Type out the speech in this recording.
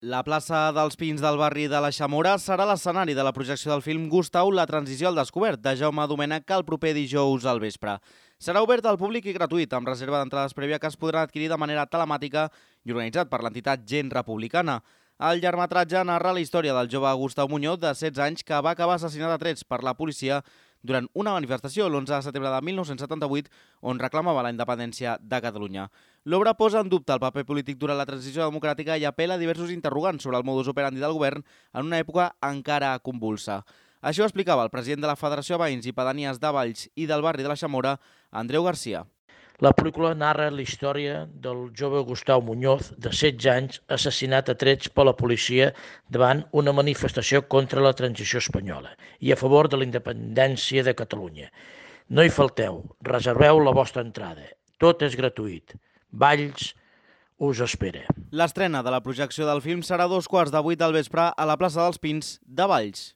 La plaça dels Pins del barri de la Xamora serà l'escenari de la projecció del film Gustau, la transició al descobert, de Jaume Domènech, el proper dijous al vespre. Serà obert al públic i gratuït, amb reserva d'entrades prèvia que es podran adquirir de manera telemàtica i organitzat per l'entitat Gent Republicana. El llargmetratge narra la història del jove Gustau Muñoz, de 16 anys, que va acabar assassinat a trets per la policia durant una manifestació l'11 de setembre de 1978, on reclamava la independència de Catalunya. L'obra posa en dubte el paper polític durant la transició democràtica i apela a diversos interrogants sobre el modus operandi del govern en una època encara convulsa. Això explicava el president de la Federació de Veïns i Pedanies de Valls i del barri de la Xamora, Andreu Garcia. La pel·lícula narra la història del jove Gustau Muñoz, de 16 anys, assassinat a trets per la policia davant una manifestació contra la transició espanyola i a favor de la independència de Catalunya. No hi falteu, reserveu la vostra entrada. Tot és gratuït. Valls us espera. L'estrena de la projecció del film serà a 14:15 del vespre a la plaça dels Pins de Valls.